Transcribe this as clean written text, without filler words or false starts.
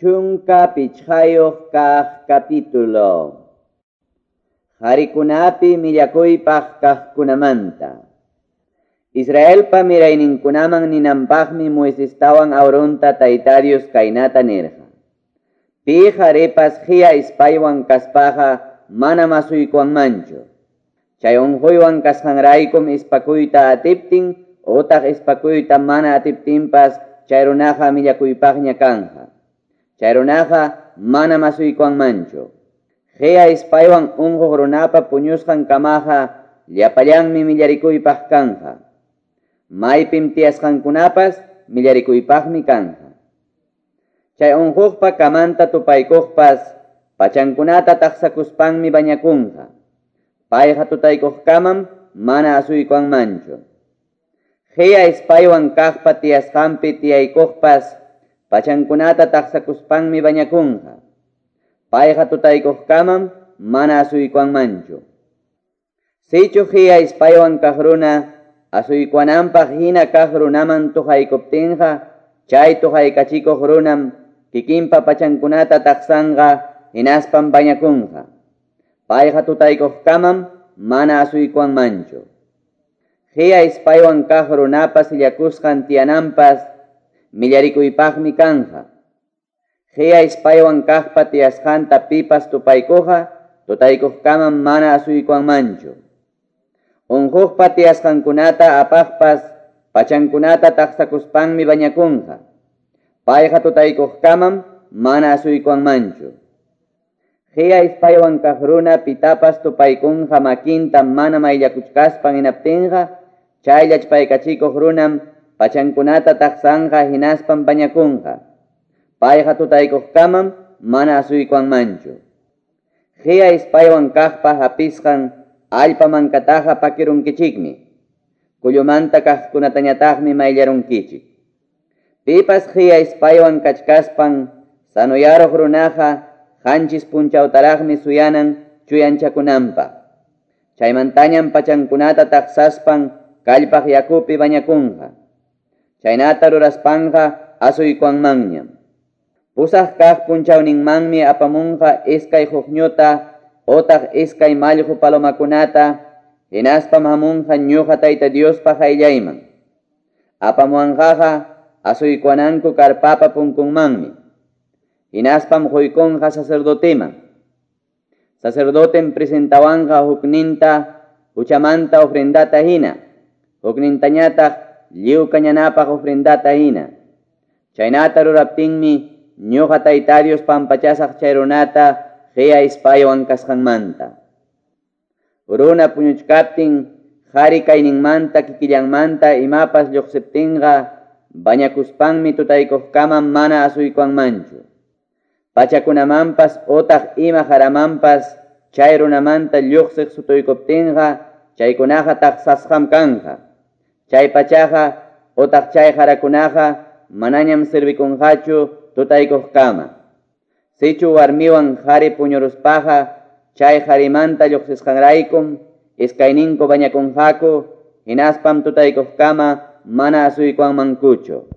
15 kaq capítulo. Qharikunapi millakuypaq kaqkunamanta. Israelpa mirayninkunaman ninanpaqmi Moisestawan Aaronta Tayta Dios kaynata nirqa. Pi qharipas khiya ispaywan kaspaqa mana masuykuwanmanchu. Chay unquywan kasqanraykum ispakuyta atiptin utaq ispakuyta mana atiptinpas chay runaqa millakuypaqña kanja. Chay runaqa mana masuykuwanmanchu. Khiya ispaywan unquq runapa puñusqan kamaqa llapallanmi millarikuypaq kanja. Maypim tiyasqankunapas millarikuypaqmi kanja. Chay unquqpa kamanta tupaykuqpas pachankunata taqsakuspanmi bañakunqa. Payqa tutaykuqkamam mana asuykuwanmanchu. Khiya ispaywan kaqpa tiyasqanpi tiyaykuqpas pachankunata taqsakuspanmi bañakunqa. Payqa tutaykuqkamam mana asuykuwanmanchu. Sichu khiya ispaywan kaq runa asuykuwananpaq hina kaq runaman tuhaykuptinqa chay tuhaykachikuq runam kikinpa pachankunata taqsanqa hinaspam bañakunqa. Payqa tutaykuqkamam mana asuykuwanmanchu. Khiya ispaywan kaq runapa sillakusqan tiyananpas millarikuypaqmi kanja. Khiya ispaywan kaqpa tiyasqanta pipas tupaykuqa tutaykuqkamam mana asuykuwanmanchu. Unquqpa tiyasqankunata apaqpas pachankunata taqsakuspanmi bañakunqa. Payqa tutaykuqkamam mana asuykuwanmanchu. Khiya ispaywan kaq runa pitapas tupaykunqa makinta mana mayllakuchkaspan hinaptinqa chay llachpaykachikuq runam pachankunata taqsanqa hinaspan bañakunqa. Payqa tutaykuqkamam mana asuykuwanmanchu. Khiya ispaywan kaqpa hapisqan allpa mankataqa pakirunkichikmi. Kullumanta kaqkunatañataqmi mayllarunkichik. Pipas khiya ispaywan kachkaspan sanuyaruq runaqa qanchis punchawtaraqmi suyanan chuyanchakunanpaq. Chaymantañam pachankunata taqsaspan kallpaq yakupi bañakunqa. Chaynata ruraspanqa asuykuwanmanñam. Pusaq kaq punchawninmanmi apamunqa iskay huqñuta otaq iskay mallqu palomakunata hinaspam hamunqa ñuqa Tayta Diospa qayllayman. Apamuwanqaqa asuykuwananku karpapa punkunmanmi. Hinaspam quykunqa sacerdoteman. Sacerdotem presentawanqa hukninta huchamanta ofrendata hina, huknintañataq lliw kañanapaq ofrendata hina. Chaynata ruraptinmi ñuqa Tayta Dios pampachasaq chay runata khiya ispaywan kasqanmanta. Runa puñuchkaptin qhari kayninmanta kikillanmanta imapas lluqsiptinqa bañakuspanmi tutaykuqkamam mana asuykuwanmanchu. Pachakunamanpas otaq ima jaramanpas chay runamanta lluqsiq sutuykuptinqa chaykunaqa taqsasqam kanja. Chay pachaqa otaq chay jarakunaqa manañam servikunqachu tutaykuqkama. Sichu warmiwan qhari puñuruspaqa chay qharimanta lluqsisqanraykum iskayninku bañakunqaku hinaspam tutaykuqkama mana asuykuwanmankuchu.